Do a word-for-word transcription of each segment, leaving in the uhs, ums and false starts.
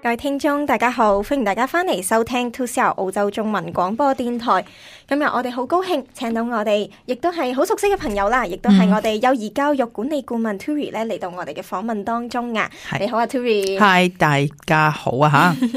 各位聽眾大家好，歡迎大家翻嚟收聽two C R澳洲中文廣播電台。今日我哋好高興請到我哋亦都係好熟悉嘅朋友啦，亦都係我哋幼兒教育管理顧問 Turi 咧嚟到我哋嘅訪問當中啊。你好啊 Turi。Hi， 大家好啊吓。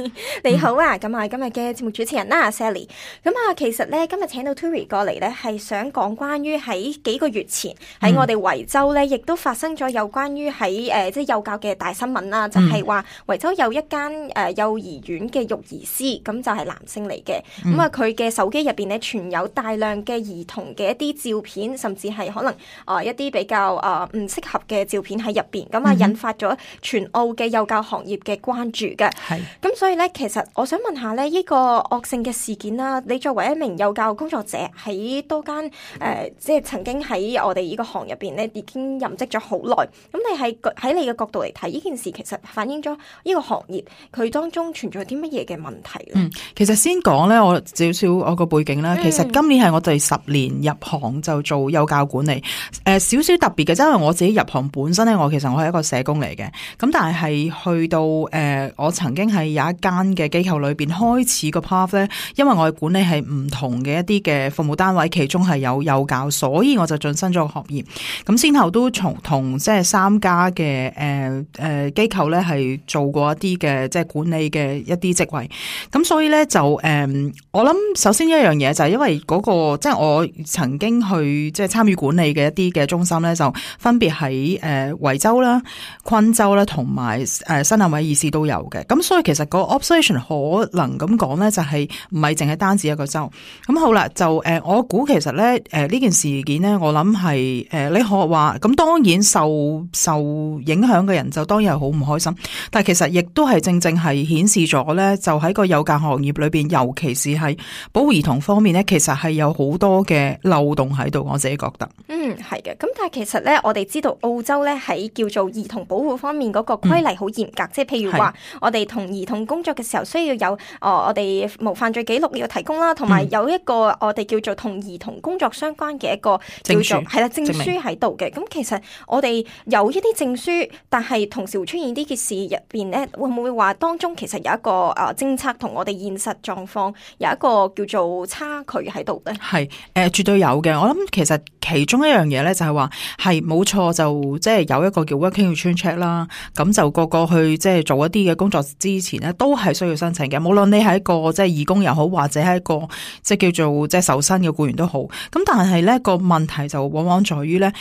你好啊，咁啊今日嘅節目主持人啦 Sally。咁啊其實咧今日請到 Turi 過嚟咧係想講關於喺幾個月前喺我哋維州咧亦都發生咗有關於喺誒即係幼教嘅大新聞啦，就係話維州有一間誒、呃、幼兒園嘅育兒師，咁就係男性嚟嘅。咁啊佢嘅手機入邊咧存有大量嘅兒童嘅一啲照片，甚至係可能啊、呃、一啲比較啊唔適合嘅照片喺入邊，咁啊引發咗全澳嘅幼教行業嘅關注嘅。係咁所以咧，其實我想問下咧，呢個惡性嘅事件啦，你作為一名幼教工作者，喺多間誒、呃、即係曾經喺我哋呢個行入邊咧已經任職咗好耐，咁你係喺你嘅角度嚟睇呢件事，其實反映咗呢個行業佢當中存在啲乜嘢嘅問題咧？嗯，其實先講咧，我少少我個背景啦。其實今年係我第十年入行就做幼教管理，誒少少特別嘅，因為我自己入行本身咧，我其實我係一個社工嚟嘅，咁但係去到誒、呃、我曾經係有一間嘅機構裏邊開始個 path 咧，因為我嘅管理係唔同嘅一啲嘅服務單位，其中係有幼教，所以我就晉身咗個行業。咁先後都從同即係三家嘅誒誒機構咧係做過一啲嘅即係管理嘅一啲職位，咁所以咧就誒、呃、我諗首先一樣嘢就係因為嗰、那個即係我曾經去即係參與管理嘅一啲嘅中心咧，就分別喺誒維州啦、昆州啦同埋誒新南威爾士都有嘅。咁所以其實個 observation 可能咁講咧，就係唔係淨係單止一個州。咁好啦，就誒、呃、我估其實咧誒呢件事件咧，我諗係誒你可話咁，當然受受影響嘅人就當然係好唔開心，但係其實亦都係正正係顯示咗咧，就喺個幼教行業裏邊，尤其是係保護兒童方面咧，其實係有好多嘅漏洞喺度，我自己覺得。嗯，係嘅。咁但係其實咧，我哋知道澳洲咧喺叫做兒童保護方面嗰個規例好嚴格，嗯、即係譬如話我哋同兒童工作嘅時候需要有哦，我哋無犯罪記錄要提供啦，同埋有一個我哋叫做同兒童工作相關嘅一個叫做係啦證書喺度嘅。咁其實我哋有一啲證書，但係同時會出現呢件事入邊咧，會唔會話當中其實有一個誒政策同我哋現實狀況有一個叫做差距喺度咧？係誒、呃，絕對有嘅。我諗其實其中一樣嘢咧，就係話係冇錯，就即係有一個叫 working return check 啦。咁就個個去即係做一啲嘅工作之前咧，都係需要申請嘅。無論你係一個即係義工又好，或者係一個即係叫做即係受薪嘅僱員都好。咁但係咧個問題就往往在於咧，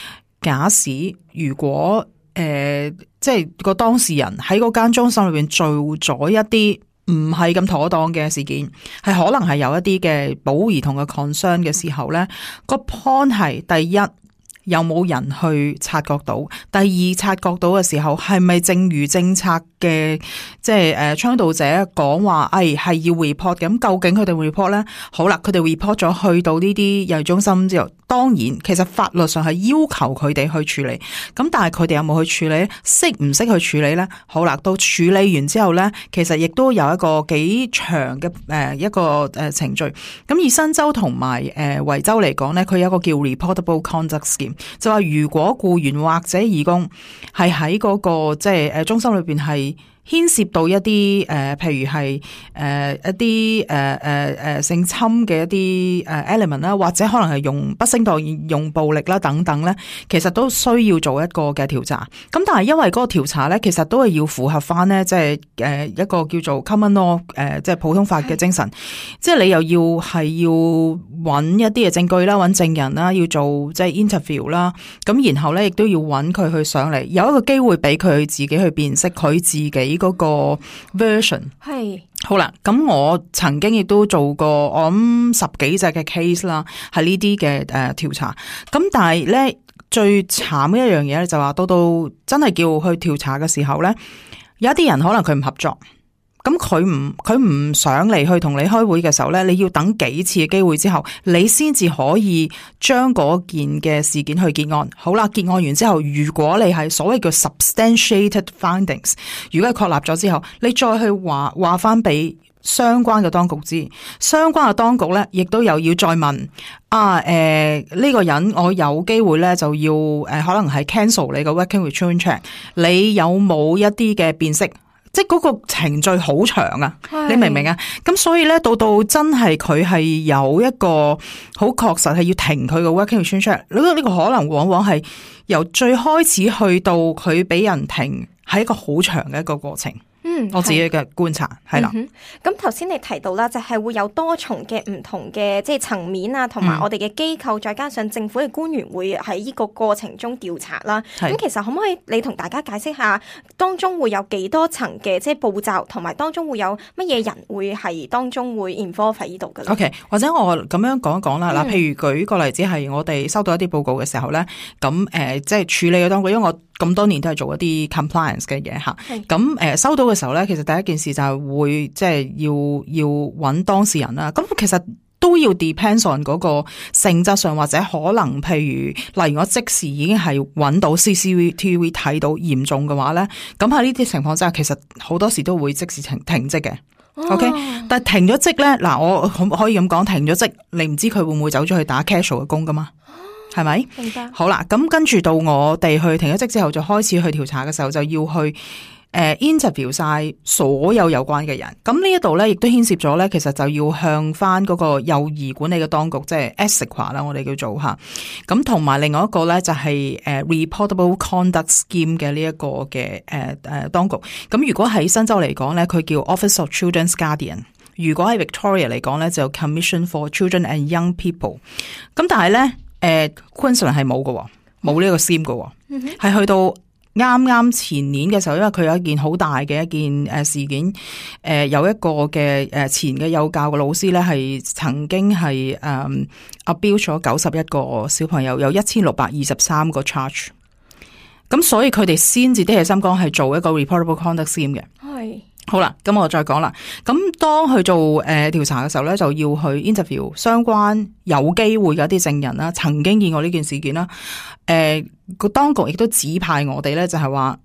假使如果誒、呃、即係個當事人喺嗰間中心裏邊做咗一啲唔係咁妥當嘅事件，係可能係有一啲嘅保護兒童嘅 concern 嘅時候咧，個 point 係第一，有冇人去察覺到？第二，察覺到嘅時候係咪正如政策嘅即係誒倡導者講話，誒係要 report 嘅？咁究竟佢哋 report 咧？好啦，佢哋 report 咗去到呢啲幼兒中心之後，當然其實法律上係要求佢哋去處理。咁但係佢哋有冇去處理？識唔識去處理咧？好啦，到處理完之後咧，其實亦都有一個幾長嘅誒一個誒程序。咁以新州同埋誒維州嚟講咧，佢有一個叫 reportable conduct scheme。就話如果僱員或者義工係喺嗰個即係誒中心裏邊係牽涉到一啲誒、呃，譬如係誒、呃、一啲誒誒誒性侵嘅一啲誒 element 啦，或者可能係用不適當用暴力啦等等咧，其實都需要做一個嘅調查。咁但係因為嗰個調查咧，其實都係要符合翻咧，即係誒一個叫做 common law 誒、呃，即係普通法嘅精神。即係你又要係要揾一啲嘅證據啦，揾證人啦，要做即係 interview 啦。咁然後咧，亦都要揾佢去上嚟，有一個機會俾佢自己去辨識佢自己嗰個 version。係好啦，咁我曾經亦都做過我諗十幾隻嘅 case 啦，係呢啲嘅誒調查。咁但係咧最慘嘅一樣嘢咧，就話到到真係叫去調查嘅時候咧，有一啲人可能佢唔合作。咁佢唔佢唔想嚟去同你開會嘅時候咧，你要等幾次嘅機會之後，你先至可以將嗰件嘅事件去結案。好啦，結案完之後，如果你係所謂叫 substantiated findings， 如果係確立咗之後，你再去話話翻俾相關嘅當局知，相關嘅當局咧，亦都又要再問啊，誒、呃、呢、這個人我有機會咧就要誒、呃、可能係 cancel 你個 working return check， 你有冇一啲嘅辨識？即係嗰個程序好長啊，你明唔明啊？咁所以咧，到到真係佢係有一個好確實係要停佢個 working relationship check，呢個呢個可能往往係由最開始去到佢俾人停，係一個好長嘅一個過程。嗯，我自己嘅觀察係啦。咁頭先你提到啦，就係、是、會有多重嘅唔同嘅即係層面啊，同埋我哋嘅機構，嗯、再加上政府嘅官員會喺呢個過程中調查啦。咁其實可唔可以你同大家解釋下，當中會有幾多層嘅即係步驟，同埋當中會有乜嘢人會係當中會 involve 喺呢度嘅咧 ？OK， 或者我咁樣講一講啦。嗱、嗯，譬如舉個例子係我哋收到一啲報告嘅時候咧，咁誒、呃、即係處理嘅當中，因為我咁多年都係做一啲 compliance 嘅嘢吓，咁誒收到嘅時候咧，其實第一件事就係會即係要要揾當事人啦。咁其實都要 depends on 嗰個性質上，或者可能譬如例如我即時已經係揾到 C C T V 睇到嚴重嘅話咧，咁喺呢啲情況之下，其實好多時都會即時停停職嘅。OK，、哦、但係停咗職咧，嗱我可可以咁講，停咗職，你唔知佢會唔會走咗去打 casual 嘅工噶嘛？係咪？明白。好啦，咁跟住到我哋去停咗職之後，就開始去調查嘅時候，就要去誒、呃、interview 晒所有有關嘅人。咁呢一度咧，亦都牽涉咗咧，其實就要向翻嗰個幼兒管理嘅當局，即係 ESICWA 啦，我哋叫做吓。咁同埋另外一個咧，就係誒 Reportable Conduct Scheme 嘅呢一個嘅誒誒當局。咁如果喺新州嚟講咧，佢叫 Office of Children's Guardian。如果喺 Victoria 嚟講咧，就 Commission for Children and Young People。咁但係咧。誒、呃、Queensland 係冇嘅，冇呢個 scheme 嘅，係、嗯、去到啱啱前年嘅時候，因為佢有一件好大嘅一件誒事件，誒、呃、有一個嘅誒前嘅幼教嘅老師咧，係曾經係誒 abuse 咗九十一個小朋友，有一千六百二十三個 charge， 咁所以佢哋先至啲起心肝係做一個 reportable conduct scheme 嘅。係。好啦，咁我再講啦。咁當去做誒調、呃、查嘅時候咧，就要去 interview 相關有機會嘅一啲證人啦，曾經見過呢件事件啦。誒、呃，個當局亦都指派我哋咧，就係話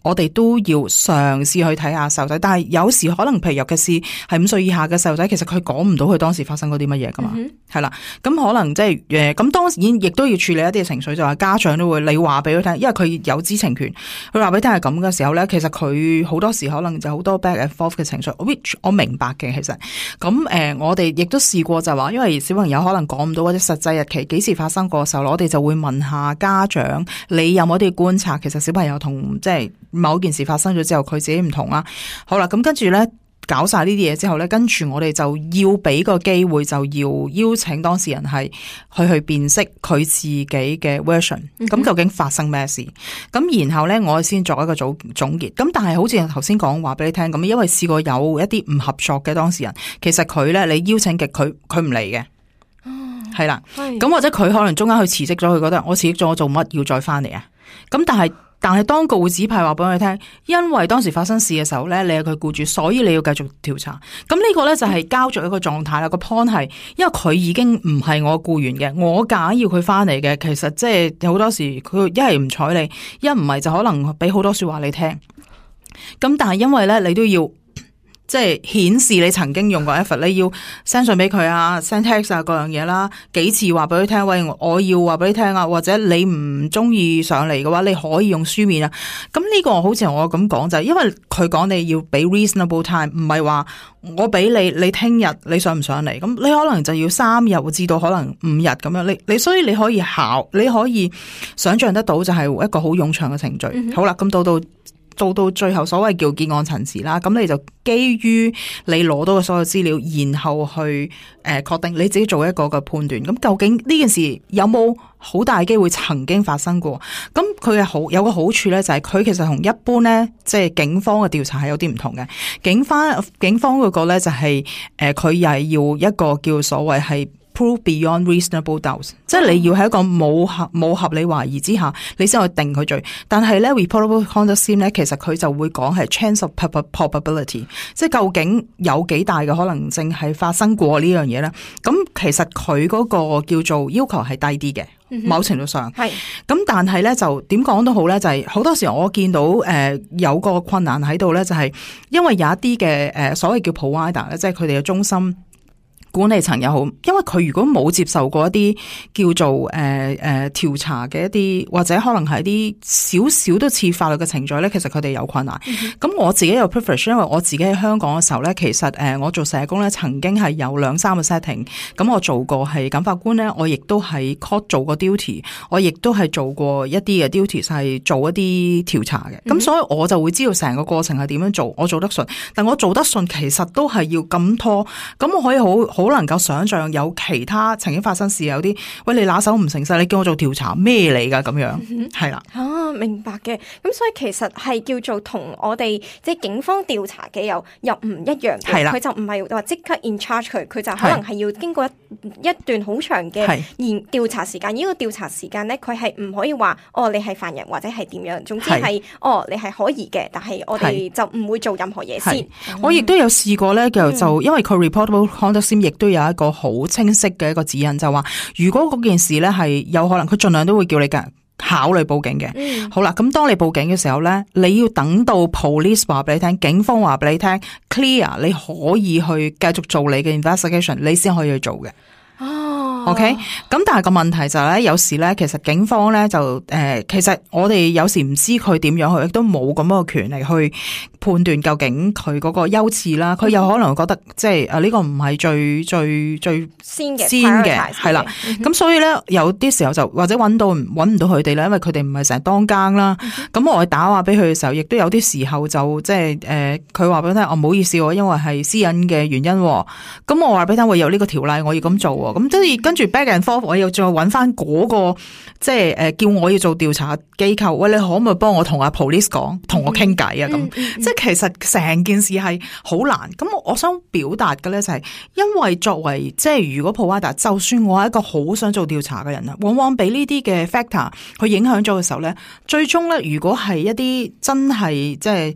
我哋都要嘗試去睇下細路仔，但係有時可能譬如尤其是係五歲以下嘅細路仔，其實佢講唔到佢當時發生過啲乜嘢噶嘛，係、嗯、啦。咁可能即係誒，咁、呃、當然亦都要處理一啲情緒，就話家長都會你話俾佢聽，因為佢有知情權，佢話俾你聽係咁嘅時候咧，其實佢好多時可能就好多 back and forth 嘅情緒 ，which 我明白嘅其實。咁誒、呃，我哋亦都試過就話，因為小朋友可能講唔到或者實際日期幾時發生過嘅時候，我哋就會問下家長，你有冇啲觀察？其實小朋友同即係某件事發生咗之後，佢自己唔同啦。好啦，咁跟住咧搞晒呢啲嘢之後咧，跟住我哋就要俾個機會，就要邀請當事人係去去辨識佢自己嘅 version。咁、嗯、究竟發生咩事？咁然後咧，我先作一個總總結。咁但係好似頭先講話俾你聽咁，因為試過有一啲唔合作嘅當事人，其實佢咧你邀請極佢，佢唔嚟嘅。係、哦、啦，咁或者佢可能中間去辭職咗，佢覺得我辭職咗，我做乜要再翻嚟啊？咁但係。但係當局會指派話俾佢聽，因為當時發生事嘅時候咧，你係佢僱主，所以你要繼續調查。咁呢個咧就係交咗一個狀態啦。個 point 係，因為佢已經唔係我僱員嘅，我假要佢翻嚟嘅，其實即係好多時佢一係唔睬你，一唔係就可能俾好多說話你聽。咁但係因為咧，你都要。即係顯示你曾經用過 effort， 你要 send 信俾佢啊 ，send text 啊，各樣嘢啦，幾次話俾佢聽，喂，我要話俾你聽啊，或者你唔中意上嚟嘅話，你可以用書面啊。咁呢個好似我咁講就係，因為佢講你要俾 reasonable time， 唔係話我俾你，你聽日你上唔上嚟，咁你可能就要三日至到可能五日咁樣，你你所以你可以考，你可以想象得到就係一個好冗長嘅程序。嗯、好啦，咁到到。到到最後所謂叫結案陳詞啦，咁你就基於你攞到嘅所有資料，然後去誒確定你自己做一個嘅判斷。咁究竟呢件事有冇好大機會曾經發生過？咁佢嘅好有個好處咧，就係佢其實同一般咧，即係警方嘅調查係有啲唔同嘅。警方警方嗰個咧就係誒佢又係要一個叫所謂係prove beyond reasonable doubts， 即係你要喺一個冇合冇合理懷疑之下，你先去定佢罪。但係咧 reportable conduct scheme 咧，其實佢就會講係 chance of probability， 即係究竟有幾大嘅可能性係發生過呢樣嘢咧？咁其實佢嗰個叫做要求係低啲嘅。某程度上係，咁但係咧就點講都好咧，就係、是、好多時我見到誒、呃、有個困難喺度咧，就係因為有一啲嘅誒所謂叫 provider 咧，即係佢哋嘅中心。管理層又好，因為佢如果冇接受過一啲叫做誒誒調查嘅一啲，或者可能係一啲少少都似法律嘅程序咧，其實佢哋有困難。咁、嗯、我自己有 privilege， 因為我自己喺香港嘅時候咧，其實誒、呃、我做社工咧，曾經係有兩三個 setting，咁我做過係檢法官咧，我亦都係 court 做過 duty， 我亦都係做過一啲嘅 duty 係做一啲調查嘅。咁、嗯、所以我就會知道成個過程係點樣做，我做得順，但我做得順其實都係要咁拖，咁我可以好好能夠想象有其他曾經發生事有啲，喂，你拿手唔誠實，你叫我做調查咩嚟㗎？咁樣係啦。啊，明白嘅。咁所以其實係叫做同我哋即係警方調查嘅又又唔一樣嘅。係啦，佢就唔係話即刻 in charge 佢，佢就可能係要經過一一段好長嘅研調查時間。呢個調查時間咧，佢係唔可以話哦，你係犯人或者係點樣。總之係哦，你係可疑嘅，但係我哋就唔會做任何嘢先。嗯、我亦都有試過咧，就就因為佢 reportable conduct 亦都有一個好清晰嘅一個指引，就話如果嗰件事咧係有可能，佢盡量都會叫你嘅考慮報警嘅。嗯、好啦，咁當你報警嘅時候咧，你要等到 police 話俾你聽，警方話俾你聽 clear， 你可以去繼續做你嘅 investigation， 你先可以去做嘅。哦，OK，咁但係個問題就係咧，有時咧，其實警方咧就誒、呃，其實我哋有時唔知佢點樣去，亦都冇咁樣嘅權利去判斷究竟佢嗰個優次啦。佢有可能覺得即係誒呢個唔係最最最先嘅先嘅，係啦。咁、嗯、所以咧，有啲時候就或者揾到揾唔到佢哋咧，因為佢哋唔係成日當更啦。咁、嗯、我打話俾佢嘅時候，亦都有啲時候就即係誒，佢話俾我聽，我唔好意思，我因為係私隱嘅原因。咁我話俾佢聽，我有呢個條例，我要咁做。咁即係跟住 back and forth， 我又再揾翻嗰個即係誒叫我要做調查機構，喂，你可唔可以幫我同阿 police 講，同我傾偈啊？咁、嗯嗯嗯、即係其實成件事係好難。咁我我想表達嘅咧就係，因為作為即係如果 provider， 就算我係一個好想做調查嘅人啊，往往俾呢啲嘅 factor 去影響咗嘅時候咧，最終咧如果係一啲真係即係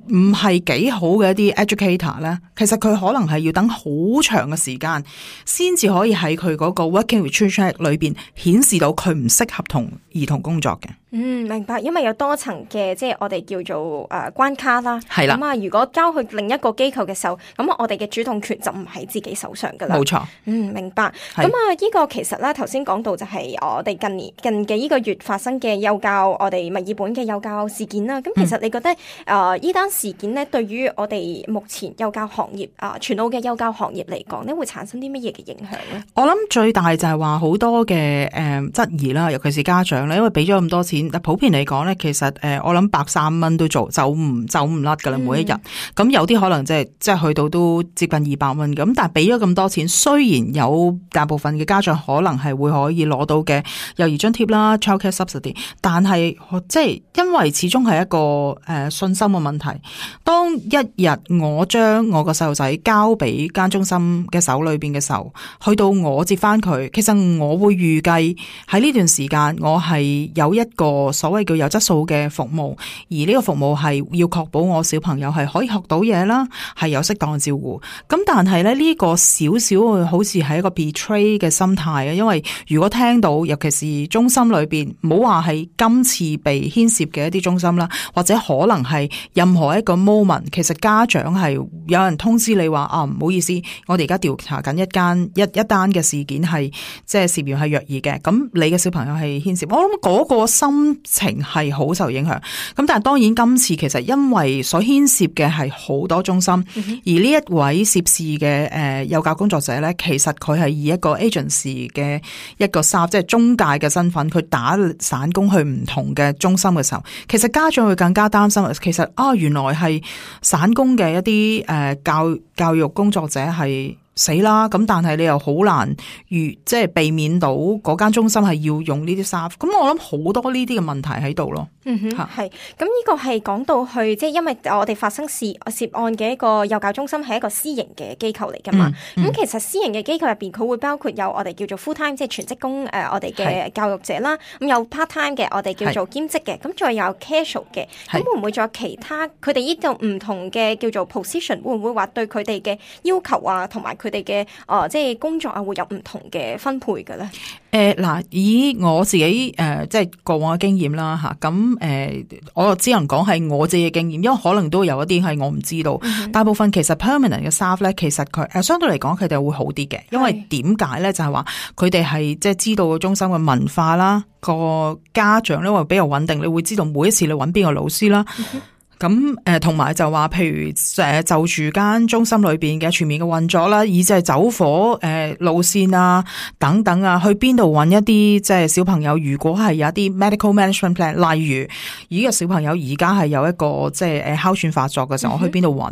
唔係幾好嘅一啲 educator 咧，其實佢可能係要等好長嘅時間，先至可以喺佢嗰個 working with children 裏邊顯示到佢唔適合同兒童工作嘅。嗯，明白，因為有多層嘅即係我哋叫做誒、呃、關卡啦。係啦。咁啊，如果交去另一個機構嘅時候，咁我哋嘅主動權就唔喺自己手上噶啦。冇錯。嗯，明白。咁啊，呢個其實咧頭先講到就係我哋近年近嘅呢個月發生嘅幼教我哋墨爾本嘅幼教事件啦。咁其實你覺得誒呢單事件咧，對於我哋目前幼教行業啊，全澳嘅幼教行業嚟講咧，會產生啲乜嘢嘅影響咧？我諗最大就係話好多嘅誒質疑啦，尤其是家長咧，因為俾咗咁多錢。但普遍嚟講咧，其實誒我諗百三蚊都做走唔走唔甩噶啦，每一日。咁、嗯、有啲可能即係即係去到都接近二百蚊咁，但係俾咗咁多錢，雖然有大部分嘅家長可能係會可以攞到嘅幼兒津貼啦 childcare subsidy， 但係即係因為始終係一個誒、呃、信心嘅問題。當一日我將我個細路仔交俾間中心嘅手裏邊嘅時候，去到我接翻佢，其實我會預計喺呢段時間我係有一個所謂叫有質素嘅服務，而呢個服務係要確保我小朋友係可以學到嘢啦，係有適當嘅照顧。咁但係咧呢個少少好似係一個 betray 嘅心態啊，因為如果聽到尤其是中心裏邊，唔好話係今次被牽涉嘅一啲中心啦，或者可能係任何一個 moment， 其實家長係有人通知你話啊，唔好意思，我哋而家調查緊一間一一單嘅事件係即係涉嫌係虐兒嘅，咁你嘅小朋友係牽涉，我諗嗰個心情係好受影響。咁但係當然今次其實因為所牽涉嘅係好多中心，嗯、而呢一位涉事嘅誒幼教工作者咧，其實佢係以一個 agency 嘅一個 staff 即係中介嘅身份，佢打散工去唔同嘅中心嘅時候，其實家長會更加擔心。其實啊，原來係散工嘅一啲誒、呃、教教育工作者係死啦，咁但係你又好難預即係避免到嗰間中心係要用呢啲 staff， 咁我諗好多呢啲嘅問題喺度咯。嗯哼，係，咁呢個係講到去，即係因為我哋發生事涉案嘅一個幼教中心係一個私營嘅機構嚟噶嘛。咁、嗯嗯、其實私營嘅機構入邊，佢會包括有我哋叫做 full time 即係全職工誒、呃，我哋嘅教育者啦。咁有 part time 嘅，我哋叫做兼職嘅。咁再有 casual 嘅。咁會唔會再有其他？佢哋呢度唔同嘅叫做 position， 會唔會話對佢哋嘅要求啊，同埋佢哋嘅誒即係工作啊，會有唔同嘅分配嘅咧？誒嗱、呃，以我自己誒、呃、即係過往嘅經驗啦嚇，咁。誒、呃，我只能講係我自己嘅經驗，因為可能都有一啲係我唔知道。嗯、大部分其實 permanent 嘅 staff 咧，其實佢誒、呃、相對嚟講佢哋會好啲嘅，因為點解咧？就係話佢哋係即係知道個中心嘅文化啦，個家長咧會比較穩定，你會知道每一次你揾邊個老師啦。嗯咁誒，同、呃、埋就話，譬如誒、呃，就住間中心裏邊嘅全面嘅運作啦，以至係走火誒、呃、路線啊，等等啊，去邊度揾一啲即係小朋友，如果係有一啲 medical management plan，例如呢個小朋友而家係有一個即係誒哮喘發作嘅時候，我去邊度揾？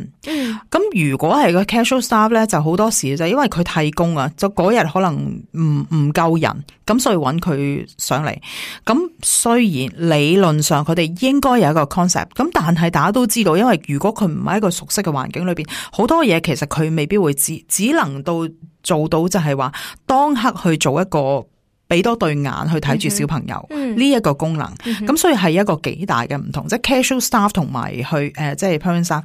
咁、嗯、如果係個 casual staff 咧，就好多時就因為佢替工啊，就嗰日可能唔唔夠人，咁所以揾佢上嚟。咁雖然理論上佢哋應該有一個 concept，咁但係大家都知道，因為如果佢唔喺一個熟悉嘅環境裏邊，好多嘢其實佢未必會知，只能到做到就係話當刻去做一個俾多對眼去睇住小朋友呢一、嗯、個功能。咁、嗯、所以係一個幾大嘅唔同，即係 casual staff 同埋去誒、呃，即係 permanent staff。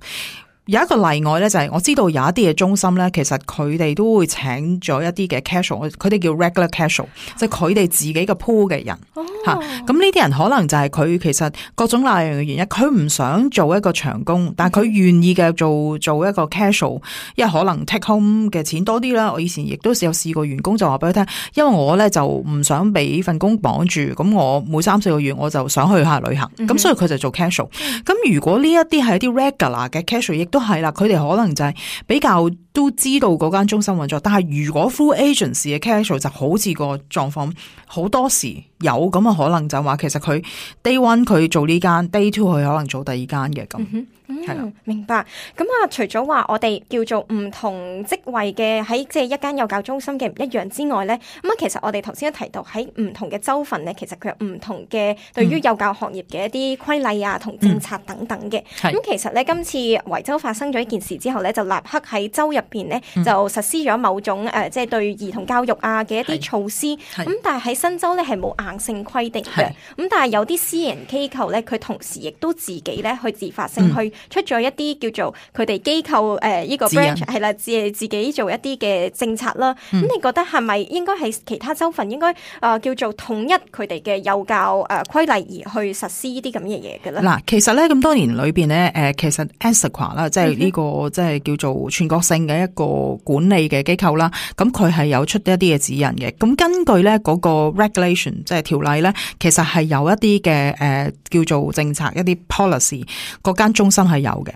有一個例外咧，就係我知道有一啲嘅中心咧，其實佢哋都會請咗一啲嘅 casual， 佢哋叫 regular casual，即係佢哋自己嘅 pool 嘅人吓。咁呢啲人可能就係佢其實各種各樣嘅原因，佢唔想做一個長工，但係佢願意嘅做做一個 casual， 因為可能 take home 嘅錢多啲啦。我以前亦都有試過員工就話俾佢聽，因為我咧就唔想俾份工綁住，咁我每三四個月我就想去下旅行，咁、嗯、所以佢就做 casual。咁如果呢一啲係一啲 regular 嘅 casual，亦都係啦，佢哋可能就係比較都知道嗰間中心運作，但係如果 full agency 嘅 casual 就好似個狀況，好多時有咁嘅可能就話，其實佢 day one 佢做呢間 day two 佢可能做第二間嘅咁。係啦、嗯，明白。咁啊，除咗話我哋叫做唔同職位嘅喺即係一間幼教中心嘅唔一樣之外咧，咁啊，其實我哋頭先都提到喺唔同嘅州份咧，其實佢有唔同嘅對於幼教行業嘅一啲規例啊同政策等等嘅。咁、嗯、其實咧，今次維州發生咗一件事之後咧，就立刻喺州入邊咧就實施咗某種誒、呃，即係對兒童教育啊嘅一啲措施。咁但係喺新州咧係冇硬性規定嘅。咁但係有啲私人機構咧，佢同時亦都自己咧去自發性去、嗯。出咗一啲叫做佢哋機構誒呢個 branch 係啦，自自己做一啲嘅政策啦。咁、嗯、你覺得係咪應該係其他州份應該誒叫做統一佢哋嘅幼教誒規例而去實施呢啲咁嘅嘢嘅咧？嗱，其實咧咁多年裏邊咧，誒其實 ASAQA 啦，即係呢個即係叫做全國性嘅一個管理嘅機構啦。咁佢係有出一啲嘅指引嘅。咁根據咧嗰個 regulation 即係條例咧，其實係有一啲嘅誒叫做政策一啲 policy，嗰間中心係有嘅，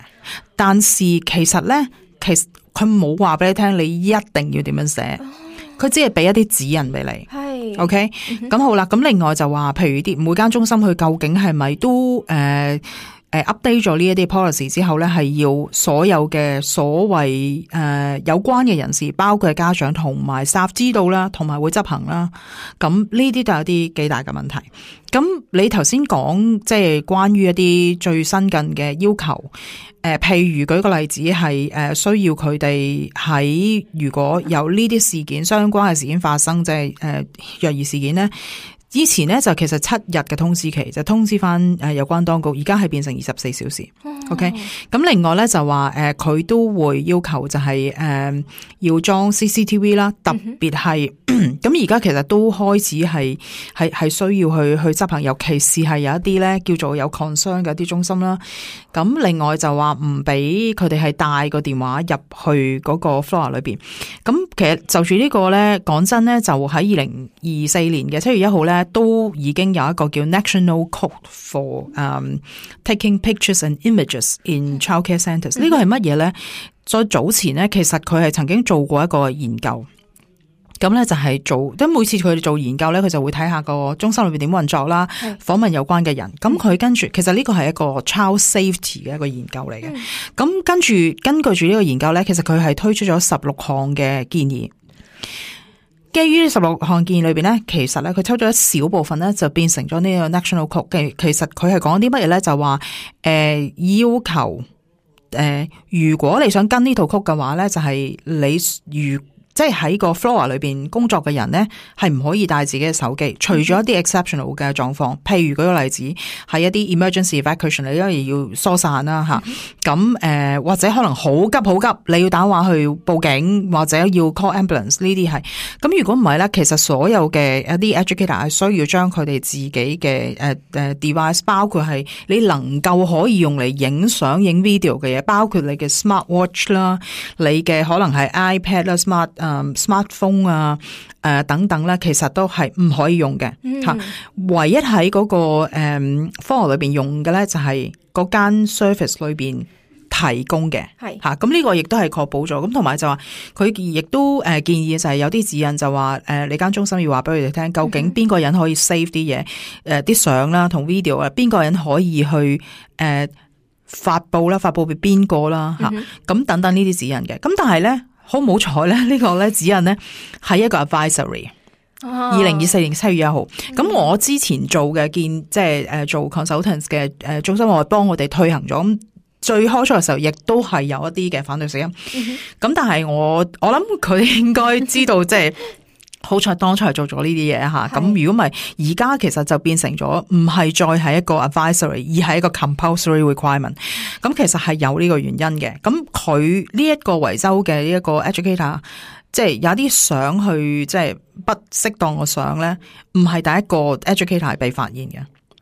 但是其實咧，其實佢冇話俾你聽，你一定要點樣寫，佢、哦、只係俾一啲指引俾你。係 ，OK，咁、嗯、好啦。咁另外就話，譬如啲每間中心佢究竟係咪都誒誒、呃呃、update 咗呢一啲 policy 之後咧，係要所有嘅所謂誒、呃、有關嘅人士，包括家長同埋 staff 知道啦，同埋會執行啦。咁呢啲都有啲幾大嘅問題。咁你頭先講即係關於一啲最新近嘅要求，誒、呃，譬如舉個例子係誒、呃、需要佢哋喺如果有呢啲事件相關嘅事件發生，即係誒虐兒事件咧。以前咧就其實七日嘅通知期就通知翻誒有關當局，而家係變成二十四小時。Oh. OK， 咁另外咧就話誒佢都會要求就係、是、誒、呃、要裝 C C T V 啦，特別係咁而家其實都開始係係係需要去去執行，尤其是係有一啲咧叫做有 concern 嘅一啲中心啦。咁另外就話唔俾佢哋係帶個電話入去嗰個 floor 裏邊。咁其實就住呢個咧，講真咧，就喺二零二四年嘅七月一號咧，都已經有一個叫 National Code for、um, Taking Pictures and Images in Childcare Centres。呢個係乜嘢咧？再早前咧，其實佢係曾經做過一個研究。咁咧就係做，即係每次佢哋做研究咧，佢就會睇下個中心裏邊點運作啦，訪問有關嘅人。咁佢跟住，其實呢個係一個 child safety 嘅一個研究嚟嘅。咁、嗯、跟住根據住呢個研究咧，其實佢係推出咗十六項嘅建議。基於呢十六項建議裏邊咧，其實咧佢抽咗一小部分咧，就變成咗呢個 national code。其實佢係講啲乜嘢咧？就話誒、呃、要求誒、呃，如果你想跟呢套曲嘅話咧，就係、是、你如。即係喺個 floor 裏邊工作嘅人咧，係唔可以帶自己嘅手機，除咗一啲 exceptional 嘅狀況，譬如舉個例子，係一啲 emergency evacuation，因為要疏散啦吓，咁誒、呃、或者可能好急好急，你要打電話去報警或者要 call ambulance 呢啲係，咁如果唔係咧，其實所有嘅一啲 educator 係需要將佢哋自己嘅誒誒 device， 包括係你能夠可以用嚟影相影 video 嘅嘢，包括你嘅 smart watch 啦，你嘅可能係 iPad 啦 smart 誒、um, smartphone 啊誒、呃、等等咧，其實都係唔可以用嘅吓、嗯。唯一喺嗰、那個誒、嗯、科學裏邊用嘅咧，就係嗰間 service 裏邊提供嘅係吓。咁呢個亦都係確保咗。咁同埋就話佢亦都誒建議就係有啲指引就話誒、呃、你間中心要話俾佢哋聽，究竟邊個人可以 save 啲嘢誒啲相啦同 video 啊，邊個人可以去誒。呃發佈啦，發佈俾邊個啦吓，咁等等呢啲指引嘅。咁但係咧，好唔好彩咧？呢個咧指引咧係一個 advisory。二零二四年七月一號。咁、嗯、我之前做嘅見即係誒做 consultants 嘅誒中心，我幫我哋推行咗。咁最開初嘅時候，亦都係有一啲嘅反對聲音。咁、嗯、但係我我諗佢應該知道即係。好彩當初係做咗呢啲嘢吓，咁如果唔係，而家其實就變成咗唔係再係一個 advisory， 而係一個 compulsory requirement。咁其實係有呢個原因嘅。咁佢呢一個維州嘅呢一個 educator， 即係有啲相去即係不適當嘅相咧，唔係第一個 educator 係被發現嘅。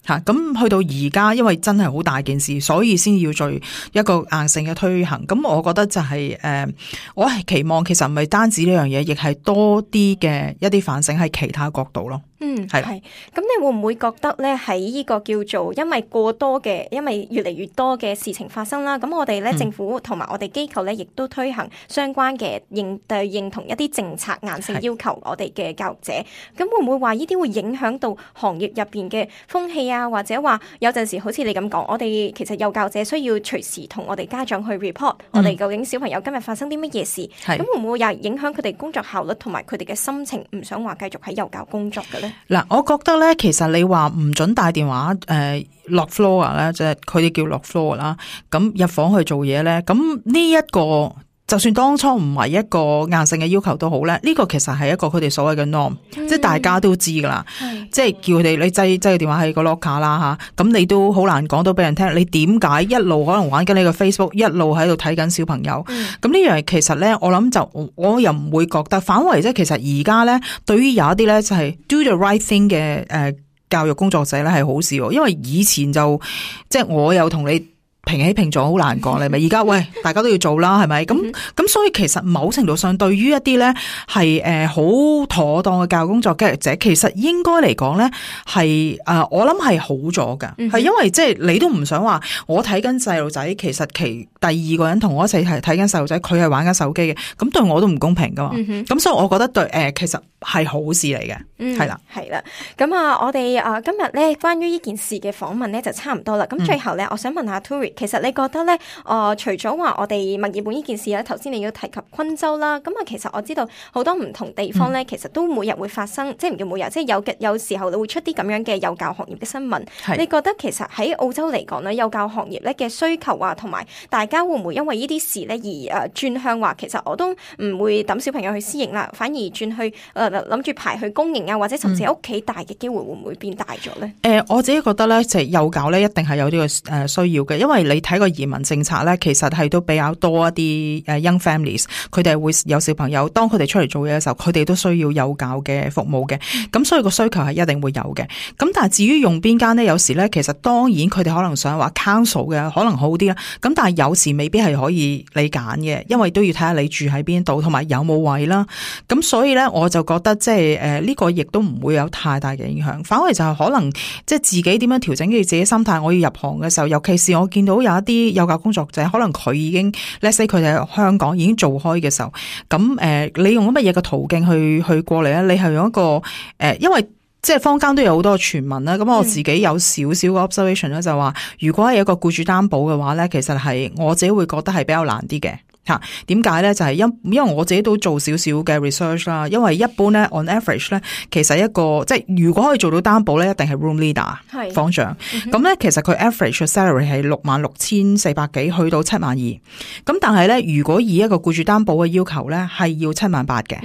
吓，咁去到而家，因為真係好大件事，所以先要做一個硬性嘅推行。咁我覺得就係、是、誒、呃，我係期望其實唔係單止呢樣嘢，亦係多啲嘅一啲反省喺其他角度咯。嗯，係。咁你會唔會覺得咧喺呢個叫做因為過多嘅，因為越嚟越多嘅事情發生啦，咁我哋咧、嗯、政府同埋我哋機構咧，亦都推行相關嘅認對認同一啲政策硬性要求我哋嘅教育者。咁會唔會話呢啲會影響到行業入邊嘅風氣啊？或者話有陣時好似你咁講，我哋其實幼教者需要隨時同我哋家長去 report、嗯、我哋究竟小朋友今日發生啲乜嘢事。咁會唔會又影響佢哋工作效率同埋佢哋嘅心情，唔想話繼續喺幼教工作嘅咧？嗱，我覺得咧，其實你話唔准帶電話誒落 floor 咧，即係佢哋叫落 floor 啦，咁入房去做嘢咧，咁呢一個就算當初唔係一個硬性嘅要求都好咧，呢、這個其實係一個佢哋所謂嘅 norm，、嗯、即係大家都知噶啦，即係叫佢哋你擠擠個電話喺個 locker 啦吓，咁你都好難講到俾人聽，你點解一路可能玩緊你個 Facebook， 一路喺度睇緊小朋友？咁、嗯、呢樣其實咧，我諗就我又唔會覺得，反為即係其實而家咧，對於有一啲咧就係 do the right thing 嘅誒、呃、教育工作者咧係好事，因為以前就即係我有同你。平起平坐好難講，你咪而家喂，大家都要做啦，係咪？咁咁所以其實某程度上，對於一啲咧係誒好妥當嘅教育工作者，其實應該嚟講咧係誒我諗係好咗噶，係、嗯、因為即係你都唔想話我睇緊細路仔，其實其第二個人同我一齊係睇緊細路仔，佢係玩緊手機嘅，咁對我都唔公平噶嘛。咁、嗯、所以我覺得對誒、呃、其實係好事嚟嘅，係、嗯、啦，係啦。咁啊，我哋啊今日咧關於呢件事嘅訪問咧就差唔多啦。咁最後咧、嗯，我想問下 Turi。其實你覺得咧，誒、呃，除咗話我哋墨爾本呢件事咧，頭先你要提及昆州啦，咁啊，其實我知道好多唔同地方咧、嗯，其實都每日會發生，即係唔叫每日，即係有嘅，有時候你會出啲咁樣嘅幼教行業嘅新聞。你覺得其實喺澳洲嚟講咧，幼教行業咧嘅需求啊，同埋大家會唔會因為呢啲事咧而誒轉向話，其實我都唔會抌小朋友去私營啦，反而轉去誒諗住排去公營啊，或者甚至喺屋企大嘅機會會唔會變大咗咧？誒、嗯呃，我自己覺得咧，就係幼教咧一定係有呢個誒需要嘅，因為你睇個移民政策咧，其實係都比較多一啲誒 young families，佢哋會有小朋友，當佢哋出嚟做嘢嘅時候，佢哋都需要幼教嘅服務嘅，咁所以個需求係一定會有嘅。咁但係至於用邊間咧，有時咧其實當然佢哋可能想話 council 嘅可能好啲啦，咁但係有時未必係可以你揀嘅，因為都要睇下你住喺邊度，同埋有冇位啦。咁所以咧，我就覺得即係誒呢個亦都唔會有太大嘅影響，反而就係可能即係自己點樣調整佢自己心態。我要入行嘅時候，尤其是我見到有一啲幼教工作者，可能佢已經 let's say 佢哋喺香港已經做開嘅時候，咁誒、呃、你用乜嘢嘅途徑去去過嚟咧？你係用一個誒、呃，因為即係坊間都有好多傳聞啦。咁我自己有少少嘅 observation 咧，就話如果係一個僱主擔保嘅話咧，其實係我自己會覺得係比較難啲嘅。吓，點解咧？就係、是、因因為我自己都做少少嘅 research 啦。因為一般咧 on average 咧，其實一個即係如果可以做到擔保咧，一定係 room leader 房長。咁咧、嗯、其實佢 average 嘅 salary 係六萬六千四百幾，去到七萬二。咁但係咧，如果以一個僱主擔保嘅要求咧，係要七萬八嘅。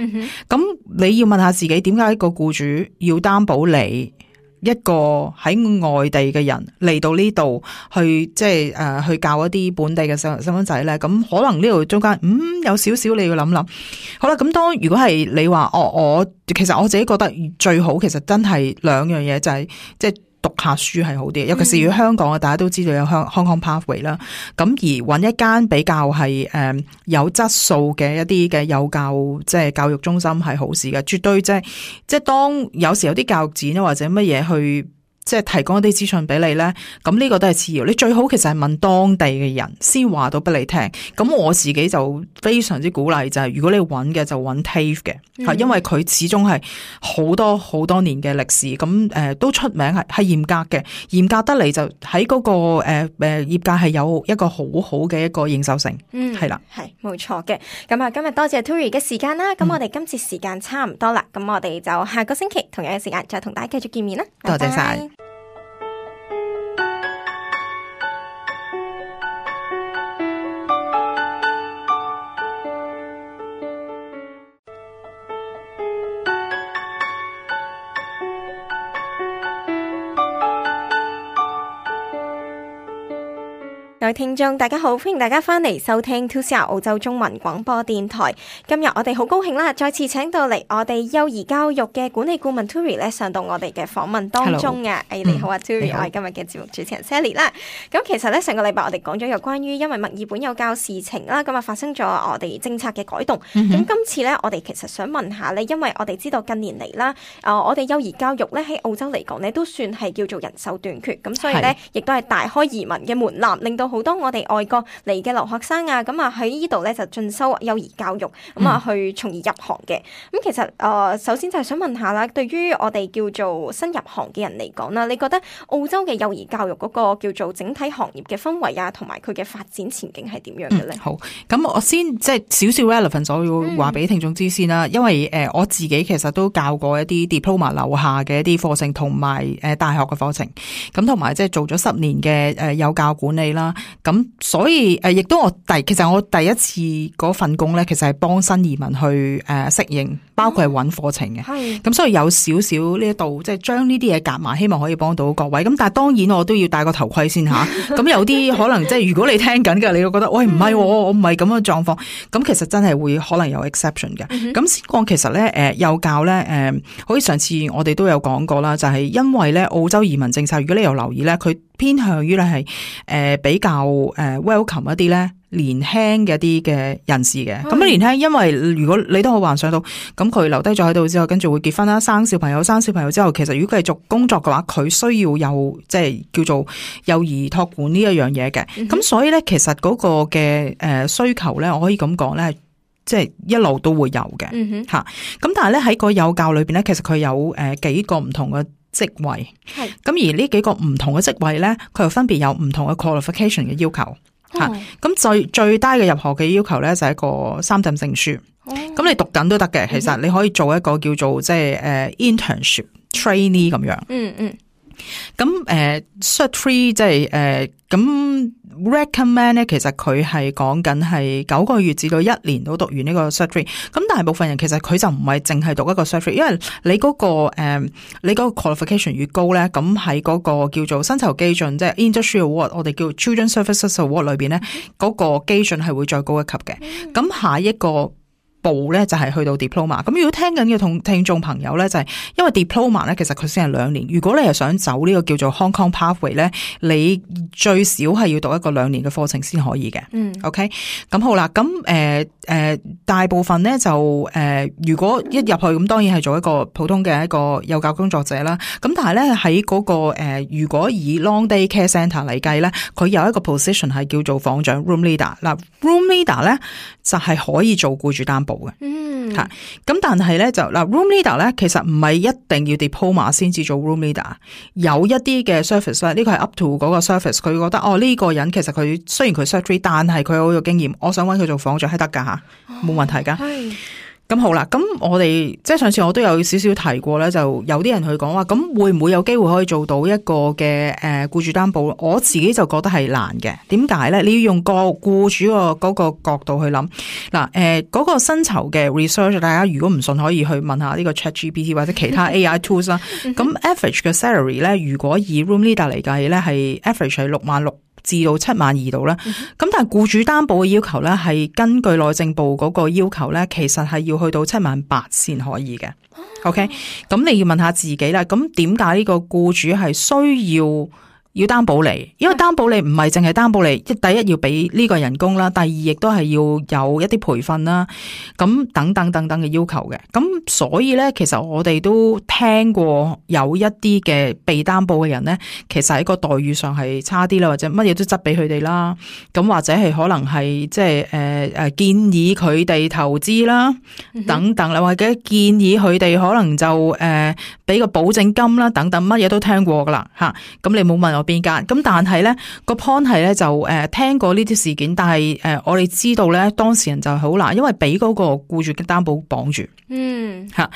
咁、嗯、你要問下自己，點解一個僱主要擔保你？一個喺外地嘅人嚟到呢度去，即係誒去教一啲本地嘅細細蚊仔咧，咁可能呢度中間嗯有少少你要諗諗。好啦，咁當如果係你話哦，我其實我自己覺得最好，其實真係兩樣嘢就係即係。讀下書係好啲，尤其是如果香港啊，大家都知道有香 Hong Kong Pathway 啦，咁而揾一間比較係誒有質素嘅一啲嘅幼教即係教育中心係好事嘅，絕對即係即係當有時有啲教育展或者乜嘢去。即係提供一啲資訊俾你咧，咁呢個都係次要。你最好其實係問當地嘅人先話到俾你聽。咁我自己就非常之鼓勵就係、是，如果你揾嘅就揾 TAFE 嘅，係、嗯、因為佢始終係好多好多年嘅歷史，咁誒、呃、都出名係係嚴格嘅，嚴格得嚟就喺嗰、那個誒誒、呃、業界係有一個好好嘅一個認受性。嗯，係啦，係冇錯嘅。咁啊，今日多謝 Tury 嘅時間啦。咁、嗯、我哋今次時間差唔多啦，咁我哋就下個星期同樣嘅時間再同大家繼續見面啦。多謝晒。各位聽眾大家好，歡迎大家翻嚟收聽 two C R 澳洲中文廣播電台。今日我哋好高興啦，再次請到嚟我哋幼兒教育嘅管理顧問 Tury 咧上到我哋嘅訪問當中啊。誒，你好啊 Tury，我係今日嘅節目主持人 Sally 啦。咁其實咧上個禮拜我哋講咗有關於因為墨爾本幼教事情啦，咁啊發生咗我哋政策嘅改動。咁、嗯、今次咧我哋其實想問下咧，因為我哋知道近年嚟啦，誒我哋幼兒教育咧喺澳洲嚟講咧都算係叫做人手短缺，咁所以咧亦都係大開移民嘅門檻，令到好多我哋外國嚟嘅留學生啊，咁啊喺呢度咧就進修幼兒教育，咁啊去從而入行嘅。咁其實誒、呃，首先就係想問下啦，對於我哋叫做新入行嘅人嚟講啦，你覺得澳洲嘅幼兒教育嗰個叫做整體行業嘅氛圍啊，同埋佢嘅發展前景係點樣嘅咧、嗯？好，咁我先即係少少 relevant， 我要話俾聽眾知先啦。嗯、因為誒、呃、我自己其實都教過一啲 diploma 樓下嘅一啲課程，同埋誒大學嘅課程，咁同埋即係做咗十年嘅誒幼教管理啦，咁。所以誒，亦都我第其實我第一次嗰份工咧，其實係幫新移民去誒適應，包括係揾課程嘅。係咁、嗯，所以有少少呢一度，即係將呢啲嘢夾埋，希望可以幫到各位。咁但係當然我都要戴個頭盔先吓。咁有啲可能即係如果你聽緊嘅，你會覺得喂唔係、嗯，我唔係咁嘅狀況。咁其實真係會可能有 exception 嘅。咁、嗯、先講其實咧，誒幼教咧，誒好似上次我哋都有講過啦，就係、是、因為咧澳洲移民政策，如果你有留意咧，佢偏向於咧係誒比較誒 welcome 一啲咧年輕嘅一啲嘅人士嘅。咁年輕，因為如果你都好幻想到，咁佢留低咗喺度之後，跟住會結婚啦，生小朋友，生小朋友之後，其實如果繼續工作嘅話，佢需要有即係叫做幼兒託管呢一樣嘢嘅。咁、嗯、所以咧，其實嗰個嘅誒需求咧，我可以咁講咧，即係一路都會有嘅。吓、嗯，咁但係咧喺個幼教裏邊咧，其實佢有誒幾個唔同嘅職位，係咁而呢幾個唔同嘅職位咧，佢又分別有唔同嘅 qualification 嘅要求吓。咁、哦、最最低嘅入學嘅要求咧就係一個三等證書，咁、哦、你讀緊都得嘅。其實你可以做一個叫做即係誒 internship trainee 咁樣。嗯嗯。咁誒 cert three 即係誒咁 recommend 咧，其實佢係講緊係九個月至到一年都讀完呢個 cert three。咁大部分人其實佢就唔係淨係讀一個 cert three，因為你嗰、那個誒、呃、你嗰個 qualification 越高咧，咁喺嗰個叫做薪酬基準，即係 industry award，我哋叫 children services award 裏邊咧，嗰、那個基準係會再高一級嘅。咁、嗯、下一個步咧就係去到 diploma。咁如果聽緊嘅同聽眾朋友咧，就係因為 diploma 咧，其實佢先係兩年。如果你係想走呢個叫做 Hong Kong Pathway 咧，你最少係要讀一個兩年嘅課程先可以嘅。嗯 ，OK。咁好啦，咁誒誒，大部分咧就誒、呃，如果一入去咁，當然係做一個普通嘅一個幼教工作者啦。咁但係咧喺嗰個誒、呃，如果以 Long Day Care Centre 嚟計咧，佢有一個 position 係叫做房長 room leader。嗱 room leader 咧就係可以做僱主擔保。保嘅。嗯，吓，咁但係咧就嗱 room leader 咧，其實唔係一定要 diploma 先至做 room leader，有一啲嘅 service 咧，呢個係 up to 嗰個 service， 佢覺得哦呢、這個人其實佢雖然佢 secretary， 但係佢好有經驗，我想揾佢做房長係得噶吓，冇問題噶。係。咁好啦，咁我哋即係上次我都有少少提過咧，就有啲人去講話，咁會唔會有機會可以做到一個嘅誒僱主擔保？我自己就覺得係難嘅。點解咧？你要用個僱主個嗰個角度去諗嗱，誒嗰個薪酬嘅 research， 大家如果唔信可以去問下呢個 ChatGPT 或者其他 A I tools 啦。咁 average 嘅 salary 咧，如果以 room leader 嚟計咧，係 average 係六萬六至到七萬二度啦，咁但係僱主擔保嘅要求咧，係根據內政部嗰個要求咧，其實係要去到七萬八先可以嘅。OK，咁你要問下自己啦，咁點解呢個僱主係需要要擔保你？因為擔保你唔係淨係擔保你，即第一要俾呢個人工啦，第二亦都係要有一啲培訓啦，咁等等等等嘅要求嘅。咁所以咧，其實我哋都聽過有一啲嘅被擔保嘅人咧，其實喺個待遇上係差啲啦，或者乜嘢都執俾佢哋啦。咁或者係可能係即係誒誒建議佢哋投資啦，等等啦，或者建議佢哋可能就誒俾個保證金啦，等等乜嘢都聽過噶啦吓。咁你冇問我邊間？咁但係咧個 point 係咧就誒、呃、聽過呢啲事件，但係誒、呃、我哋知道咧當事人就好難，因為俾嗰個僱主嘅擔保綁住。嗯，吓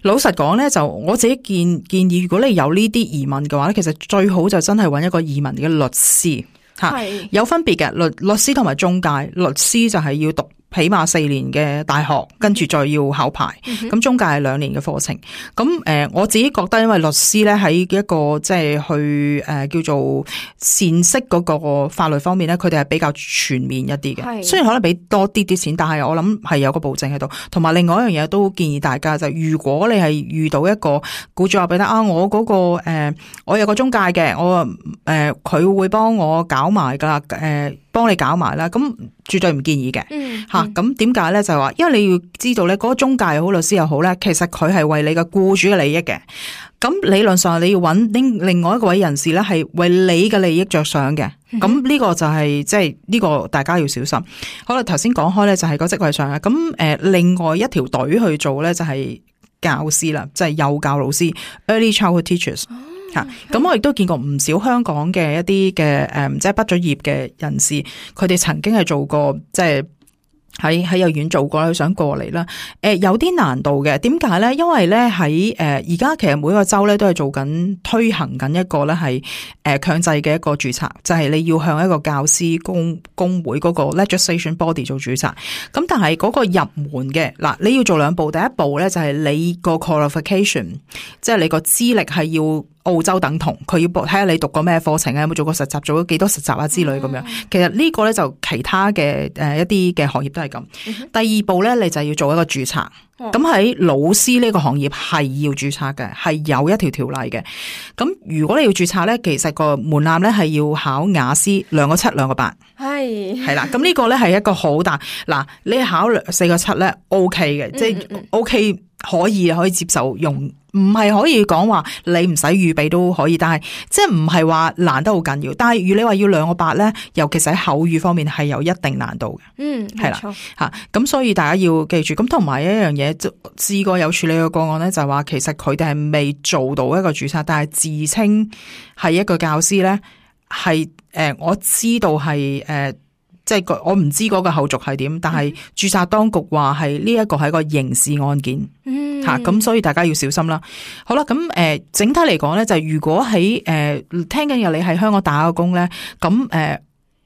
老實講咧，就我自己建建議，如果你有呢啲疑問嘅話咧，其實最好就真係揾一個移民嘅律師吓，有分別嘅律律師同埋中介，律師就係要讀起碼四年嘅大學，跟住再要考牌。咁、嗯、中介係兩年嘅課程。咁誒、呃，我自己覺得，因為律師咧喺一個即係去誒、呃、叫做善識嗰個法律方面咧，佢哋係比較全面一啲嘅。雖然可能俾多啲啲錢，但係我諗係有個保證喺度。同埋另外一樣嘢都建議大家就係，如果你係遇到一個僱主話俾你啊，我嗰、那個誒、呃，我有個中介嘅，我誒佢、呃、會幫我搞埋噶啦，誒、呃、幫你搞埋啦，咁絕對唔建議嘅。嗯。吓、咁點解咧？就係話，因為你要知道咧，嗰個中介又好，律師又好咧，其實佢係為你嘅僱主嘅利益嘅。咁理論上你要揾另另外一個位人士咧，係為你嘅利益着想嘅。咁呢個就係即係呢個大家要小心。好啦，頭先講開咧就係個職位上啊。咁誒、呃，另外一條隊去做咧就係教師啦，即係幼教老師 （early childhood teachers）。吓，咁我亦都見過唔少香港嘅一啲嘅誒，即係畢咗業嘅人士，佢哋曾經係做過即係。喺喺幼兒園做過，佢想過嚟啦。誒、呃，有啲難度嘅，點解咧？因為咧喺誒而家其實每個州咧都係做緊推行緊一個咧係誒強制嘅一個註冊，就係、是、你要向一個教師公工會嗰個 legislation body 做註冊。咁但係嗰個入門嘅嗱，你要做兩步，第一步咧就係你個 qualification，即係你個資歷係要澳洲等同，佢要睇下你讀過咩課程啊，有冇做過實習，做咗幾多實習啊之類咁樣。其實呢個咧就其他嘅誒一啲嘅行業都係咁。第二步咧，你就要做一個註冊。咁喺老師呢個行業係要註冊嘅，係有一條條例嘅。咁如果你要註冊咧，其實個門檻咧係要考雅思兩個七兩個八。係係啦，咁呢個咧係一個好大嗱，你考四個七咧 OK 嘅，即係 OK 可以可以接受用。唔係可以講話你唔使預備都可以，但係即係唔係話難得好緊要。但係如果你話要兩個八咧，尤其是喺口語方面係有一定難度嘅。嗯，係啦吓，咁所以大家要記住。咁同埋一樣嘢，試過有處理嘅個案咧，就係話其實佢哋係未做到一個註冊，但係自稱係一個教師咧，係誒、呃、我知道係誒。呃即係我唔知嗰個後續係點，但係註冊當局話係呢一個係一個刑事案件，吓、嗯、咁、啊、所以大家要小心啦。好啦，咁誒、呃、整體嚟講咧，就係、如果喺誒、呃、聽緊嘅你喺香港打個工咧，咁誒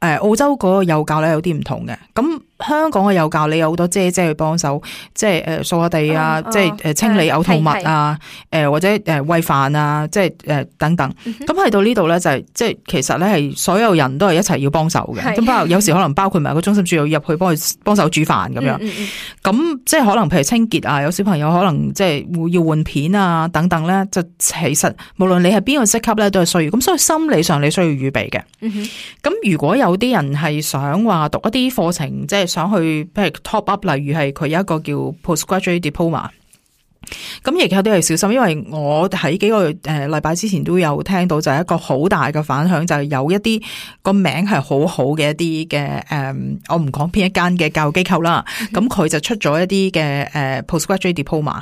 誒澳洲嗰個幼教咧有啲唔同嘅，咁。香港嘅幼教你有好多姐姐去幫手，即係誒掃下地啊，嗯、即係誒清理嘔吐物啊，誒、呃、或者誒餵飯啊，即係誒等等。咁、嗯、去到呢度咧就係、是、即係其實咧係所有人都係一齊要幫手嘅。咁包括有時可能包括埋個中心主任入去幫佢幫手煮飯咁樣。咁、嗯嗯、即係可能譬如清潔啊，有小朋友可能即係會要換片啊等等咧，就其實無論你係邊個職級咧都係需要。咁所以心理上你需要預備嘅。咁、嗯、如果有啲人係想話讀一啲課程，即係想去譬如 top up，例如係佢有一個叫 postgraduate diploma，咁亦有啲係小心，因為我喺幾個誒禮拜之前都有聽到，就係一個好大嘅反響，就係、是、有一啲個名係好好嘅一啲嘅誒，我唔講邊一間嘅教育機構啦。咁佢、嗯、就出咗一啲嘅誒 postgraduate diploma，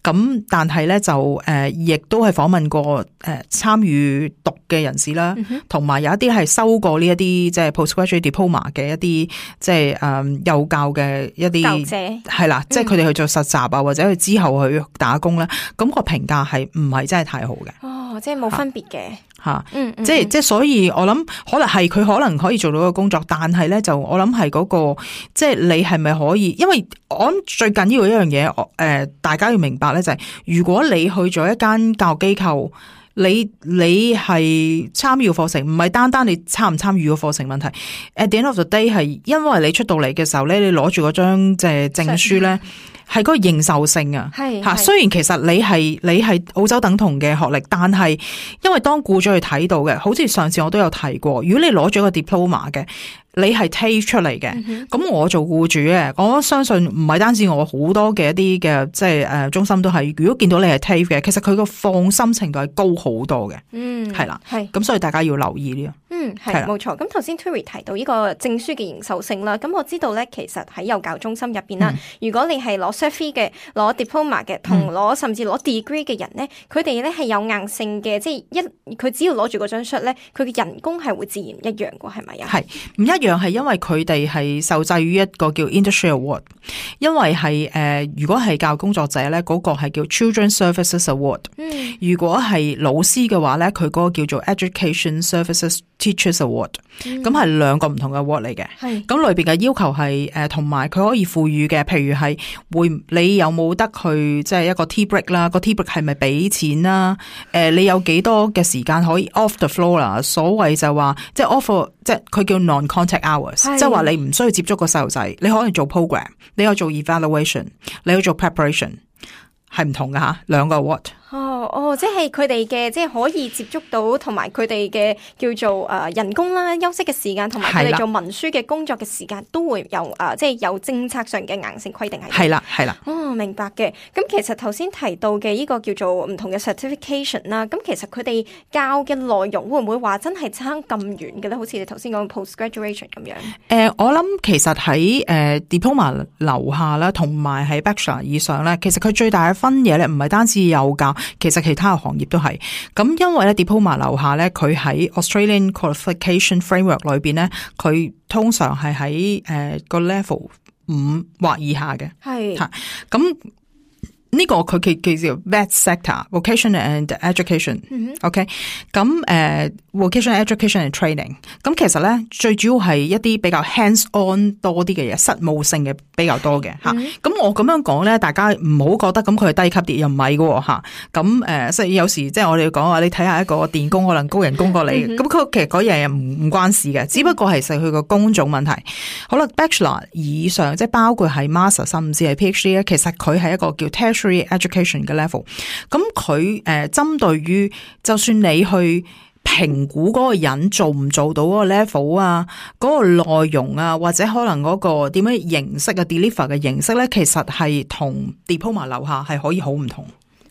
咁但係咧就誒亦、呃、都係訪問過誒參與讀嘅人士啦，同埋、嗯、有一啲係收過呢一啲即係 postgraduate diploma 嘅一啲即係誒幼教嘅一啲係啦，即係佢哋去做實習啊，或者佢之後去打工咧，咁、那個評價係唔係真係太好嘅。哦，即係冇分別嘅吓，嗯，即係即係，所以我諗可能係佢可能可以做到個工作，但係咧就我諗係嗰個，即係你係咪可以？因為我諗最緊要一樣嘢，誒、呃，大家要明白咧就係、是，如果你去咗一間教育機構。你你係參與課程，唔係單單你參唔參與個課程問題。At the end of the day 係因為你出到嚟嘅時候咧，你攞住嗰張即係證書咧，係嗰個認受性啊。係嚇，雖然其實你係你係澳洲等同嘅學歷，但係因為當僱主去睇到嘅，好似上次我都有提過，如果你攞咗個 diploma 嘅。你係 take 出嚟嘅，咁、嗯、哼我做僱主嘅，我相信唔係單止我好多嘅一啲嘅，即係誒中心都係。如果見到你係 take 嘅，其實佢個放心程度係高好多嘅。嗯，係啦，係咁，所以大家要留意呢、這個。嗯，係冇錯。咁頭先 Tury 提到呢個證書嘅認受性啦，咁我知道咧，其實喺幼教中心入邊啦，嗯、如果你係攞 Cert 嘅、攞 Diploma 嘅，同攞甚至攞 Degree 嘅人咧，佢哋咧係有硬性嘅，即係一佢只要攞住嗰張 Cert 咧，佢嘅人工係會自然一樣嘅，係咪啊？係唔一樣。樣係因為佢哋係受制於一個叫 Industry Award， 因為係誒、呃，如果係教育工作者咧，嗰、那個係叫 Children Services Award。嗯，如果係老師嘅話咧，佢嗰個叫做 Education Services Teachers Award。咁係兩個唔同嘅 award 嚟嘅。係咁裏邊嘅要求係誒，同埋佢可以賦予嘅，譬如係會你有冇得去即係一個 tea break 啦，個 tea break 係咪俾錢啦？誒、呃，你有幾多嘅時間可以 off the floor 啦？所謂就話即係 off， 即係佢叫 non-contact hours， 即係話你唔需要接觸個細路仔，你可以做 program， 你可以做 evaluation， 你可以做 preparation， 係唔同㗎吓，兩個 award。哦哦，即係佢哋嘅，即係可以接觸到，同埋佢哋嘅叫做誒、呃、人工啦、休息嘅時間，同埋佢哋做文書嘅工作嘅時間，都會有誒、呃，即係有政策上嘅硬性規定係。係啦，係啦。哦，明白嘅。咁其實頭先提到嘅呢個叫做唔同嘅 certification 啦，咁其實佢哋教嘅內容會唔會話真係差咁遠嘅咧？好似你頭先講 post graduation 咁樣。誒、呃，我諗其實喺誒、呃、diploma 樓下啦，同埋喺 bachelor 以上咧，其實佢最大嘅分野咧，唔係單止幼教。其實其他嘅行業都係咁，因為咧 diploma 樓下咧，佢喺 Australian Qualification Framework 裏邊咧，佢通常係喺誒個 level 五或以下嘅，係吓咁。呢個佢佢叫做 V E T sector，vocation and education。OK，咁誒 vocation education and training。咁其實咧最主要係一啲比較 hands on 多啲嘅嘢，實務性嘅比較多嘅吓。咁、mm hmm. 我咁樣講咧，大家唔好覺得咁佢係低級啲，又唔係嘅吓。咁誒，所以有時即係我哋講話，你睇下一個電工可能高人工過你，咁佢、mm hmm. 其實嗰樣嘢唔唔關事嘅，只不過係實佢個工種問題。好啦 ，Bachelor 以上即係包括係 Master 甚至係 PhD 咧，其實佢係一個叫 Education 嘅 level， 咁佢誒針對於就算你去評估嗰個人做唔做到嗰個 level 啊，嗰個內容啊，或者可能嗰個點樣形式啊 deliver 嘅形式咧，其實係同 diploma 樓下係可以好唔同。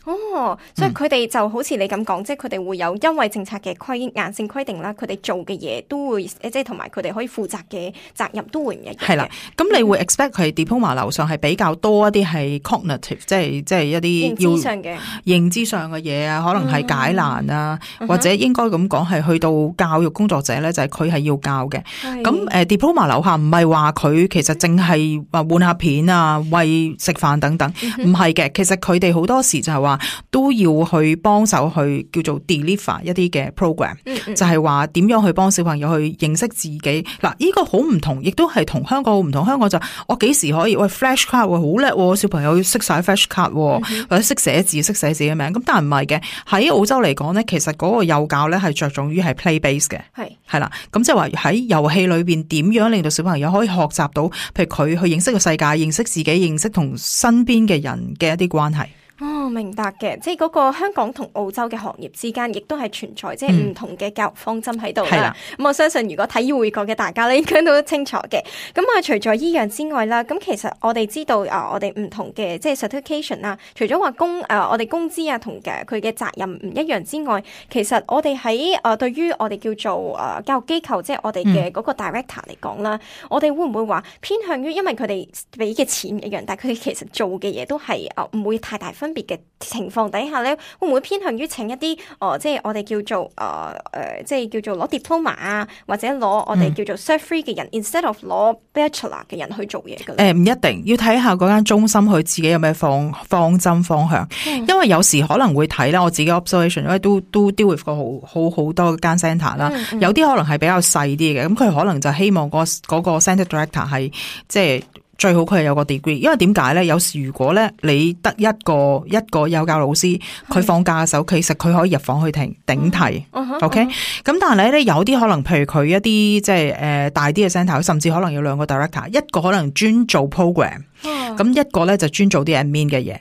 哦，所以佢哋就好似你咁講，嗯、即係佢哋會有因為政策嘅規硬性規定啦，佢哋做嘅嘢都會，即係同埋佢哋可以負責嘅責任都會唔一樣嘅。係啦，咁你會 expect 佢 diploma 樓上係比較多一啲係 cognitive，即係即係一啲認知上嘅認知上嘅嘢啊，可能係解難啊，嗯、或者應該咁講係去到教育工作者咧，就係佢係要教嘅。咁誒 diploma 樓下唔係話佢其實淨係話換下片啊、餵食飯等等，唔係嘅。其實佢哋好多時就係話。都要去幫手去叫做 deliver 一啲嘅 program，嗯嗯就係話點樣去幫小朋友去認識自己。嗱，呢個好唔同，亦都係同香港好唔同。香港就我幾時可以喂 flash card 好叻，小朋友識晒 flash card，嗯、哼或者識寫字、識寫自己嘅名。咁但係唔係嘅，喺澳洲嚟講咧，其實嗰個幼教咧係着重於係 play base 嘅，係係啦。咁即係話喺遊戲裏邊點樣令到小朋友可以學習到，譬如佢去認識個世界、認識自己、認識同身邊嘅人嘅一啲關係。哦，明白嘅，即係嗰個香港同澳洲嘅行業之間，亦都係存在即係唔同嘅教育方針喺度啦。咁、嗯、我相信如果睇醫會過嘅大家咧，應該都清楚嘅。咁啊，除咗依樣之外啦，咁其實我哋知道啊，我哋唔同嘅即係 certification 啊，除咗話工誒，我哋工資啊同嘅佢嘅責任唔一樣之外，其實我哋喺誒對於我哋叫做誒教育機構，即係我哋嘅嗰個 director 嚟講啦，嗯、我哋會唔會話偏向於因為佢哋俾嘅錢唔一樣，但係佢哋其實做嘅嘢都係誒唔會太大分別嘅情況底下咧，會唔會偏向於請一啲誒、呃、即係我哋叫做誒誒、呃、即係叫做攞 diploma 啊，或者攞我哋叫做 cert free 嘅人、嗯、，instead of 攞 bachelor 嘅人去做嘢嘅？誒、呃，唔一定要睇下嗰間中心佢自己有咩方方針方向，嗯、因為有時可能會睇啦。我自己 observation，因為都都 deal with 過好好好多間 centre 啦、嗯嗯，有啲可能係比較細啲嘅，咁佢可能就希望嗰嗰個 centre director 係即係。最好佢係有個 degree， 因為點解咧？有時如果咧你得一個一個幼教老師，佢放假嘅時候，其實佢可以入房去聽頂替、uh-huh,，OK？咁、uh-huh. 但係咧有啲可能，譬如佢一啲即係誒大啲嘅 centre，甚至可能有兩個 director， 一個可能專做 program，咁、uh-huh. 一個咧就專做啲 admin 嘅嘢。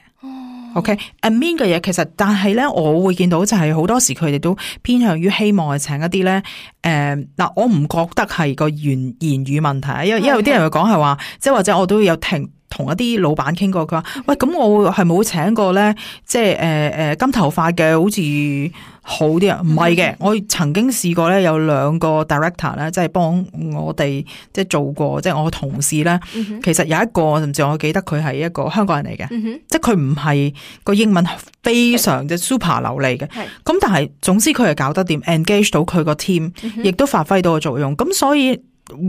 OK，admin 嘅嘢其實，但係咧，我會見到就係好多時佢哋都偏向於希望係請一啲咧，誒、呃、嗱，我唔覺得係個言言語問題，因為因為有啲人會講係話，即係或者我都有聽同一啲老闆傾過，佢話喂，咁我係冇請過咧，即係誒誒金頭髮嘅，好似好啲啊？唔係嘅，我曾經試過咧，有兩個 director 咧，即係幫我哋即係做過，即係我同事咧、嗯，其實有一個甚至我記得佢係一個香港人嚟嘅、嗯，即係佢唔係個英文非常之 super 流利嘅，咁但係總之佢係搞得掂 engage 到佢個 team，亦都發揮到個作用，咁所以。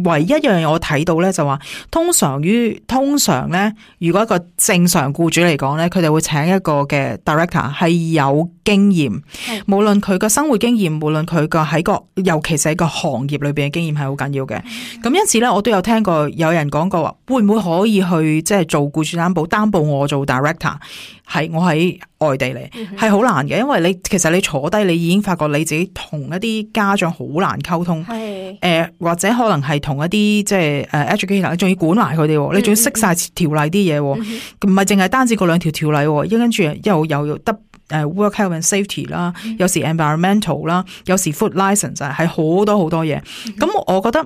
唯一一樣嘢我睇到咧就話，通常於通常咧，如果一個正常僱主嚟講咧，佢哋會請一個嘅 director 係有經驗，無論佢個生活經驗，無論佢個喺個，尤其是喺個行業裏邊嘅經驗係好緊要嘅。咁因此咧，我都有聽過有人講過話，會唔會可以去即係做僱主擔保，擔保我做 director， 係我喺外地嚟，係好難嘅，因為你其實你坐低，你已經發覺你自己同一啲家長好難溝通，誒、呃、或者可能係同一啲即係誒 educator， 你仲要管埋佢哋，你仲要識晒條例啲嘢，唔係淨係單止嗰兩條條例，跟住又又得誒 work health and safety 啦，有時 environmental 啦，有時 food license 係好多好多嘢。咁我覺得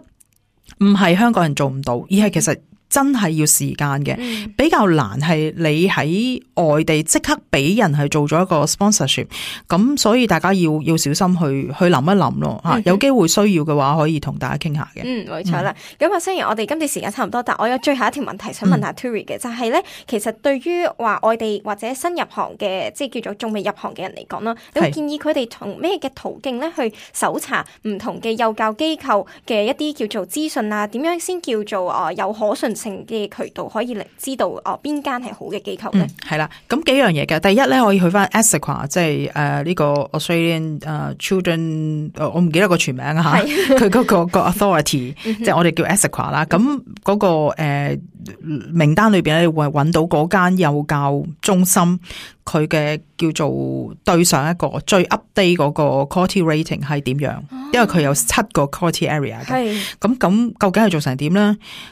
唔係香港人做唔到，而係其實。真係要時間嘅、嗯，比較難係你喺外地即刻俾人係做咗一個 sponsorship， 咁所以大家要要小心去去諗一諗咯吓、嗯，有機會需要嘅話可以同大家傾下嘅。嗯，冇錯啦。咁、嗯、啊，雖然我哋今次時間差唔多，但我有最後一條問題想問下 Tury 嘅、嗯，就係、是、咧，其實對於話外地或者新入行嘅，即係叫做仲未入行嘅人嚟講啦，你會建議佢哋從咩嘅途徑咧去搜查唔同嘅幼教機構嘅一啲叫做資訊啊？點樣先叫做啊有可信性嘅渠道可以嚟知道哦邊間係好嘅機構咧？係、嗯、啦，咁幾樣嘢嘅。第一咧，可以去翻 ASIQA， 即係誒呢個 Australian 誒、uh, Children， 我唔記得個全名啊吓，佢嗰、那個個 authority， 即係我哋叫 ASIQA 啦。咁嗰個誒、呃、名單裏邊咧，會揾到嗰間幼教中心。佢嘅叫做對上一個最 update 嗰個 quality rating 係點樣、啊？因為佢有七個 quality area 嘅。咁咁究竟係做成點咧？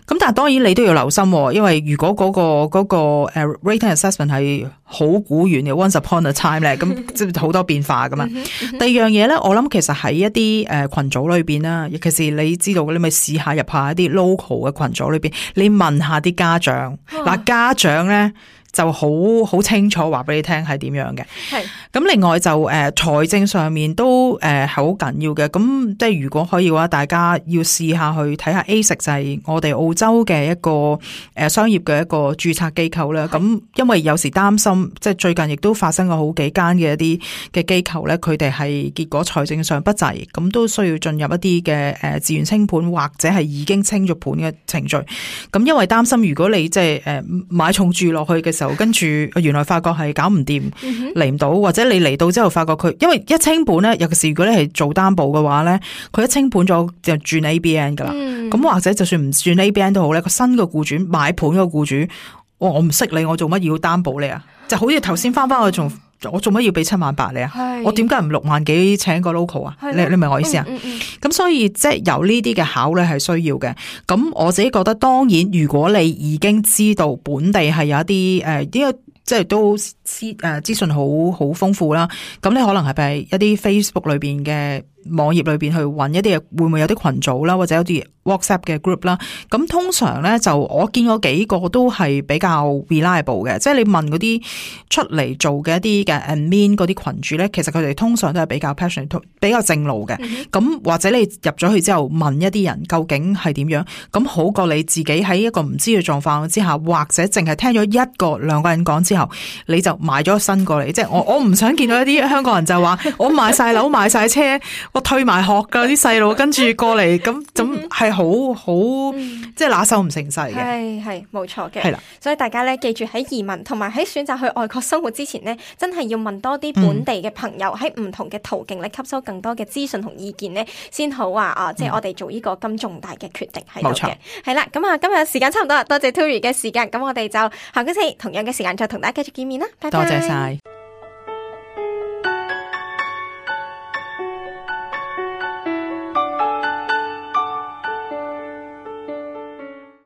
咁但係當然你都要留心，因為如果嗰、嗰個嗰、嗰個誒 rating assessment 係好古遠嘅 once upon a time 咧，咁即係好多變化噶嘛。第二樣嘢咧，我諗其實喺一啲誒群組裏邊啦，尤其是你知道嘅，你咪試下入下一啲 local 嘅群組裏邊，你問下啲家長。嗱、啊，家長咧。就好好清楚話俾你聽係點樣嘅。係咁，另外就誒財、呃、政上面都誒係好緊要嘅。咁即係如果可以嘅話，大家要試下去睇下 A S I C， 就係我哋澳洲嘅一個誒、呃、商業嘅一個註冊機構啦。咁因為有時擔心，即係最近亦都發生過好幾間嘅一啲嘅機構咧，佢哋係結果財政上不濟，咁都需要進入一啲嘅誒自願清盤或者係已經清咗盤嘅程序。咁因為擔心，如果你即係誒買重注落去嘅時候，跟住原來發覺係搞唔掂，嚟唔到，或者你嚟到之後發覺佢，因為一清盤咧，尤其是如果你係做擔保嘅話咧，佢一清盤咗就轉 A B N 噶啦。咁、嗯、或者就算唔轉 A B N 都好咧，個新嘅僱主買盤個僱主，我我唔識你，我做乜要擔保你啊？就好似頭先翻翻去仲。我做乜要俾七萬八你啊？我點解唔六萬幾請個 local 啊？你你明我意思啊？咁、嗯嗯嗯、所以即係有呢啲嘅考慮係需要嘅。咁我自己覺得，當然如果你已經知道本地係有一啲誒，呢、呃、個即係都知資誒資訊好好豐富啦，咁你可能係喺一啲 Facebook 裏邊嘅網頁裏邊去揾一啲嘢，會唔會有啲群組啦，或者有啲 WhatsApp 嘅 group 啦？咁通常咧就我見過幾個都係比較 reliable 嘅，即係你問嗰啲出嚟做嘅一啲嘅 admin 嗰啲群主咧，其實佢哋通常都係比較 passionate， 比較正路嘅。咁、嗯、或者你入咗去之後問一啲人究竟係點樣，咁好過你自己喺一個唔知嘅狀況之下，或者淨係聽咗一個兩個人講之後，你就買咗身過嚟。即係我我唔想見到一啲香港人就話我買晒樓買晒車。我退埋學噶啲細路，跟住過嚟咁咁係好好，即係拿手唔成勢嘅。係係冇錯嘅，係啦。所以大家咧記住喺移民同埋喺選擇去外國生活之前呢，真係要問多啲本地嘅朋友喺唔同嘅途徑咧吸收更多嘅資訊同意見呢，先好話啊！即係我哋做呢個咁重大嘅決定喺度嘅。係啦，咁啊今日時間差唔多啦，多謝 Tury 嘅時間，咁我哋就下個星期同樣嘅時間再同大家繼續見面啦。拜拜。多謝晒。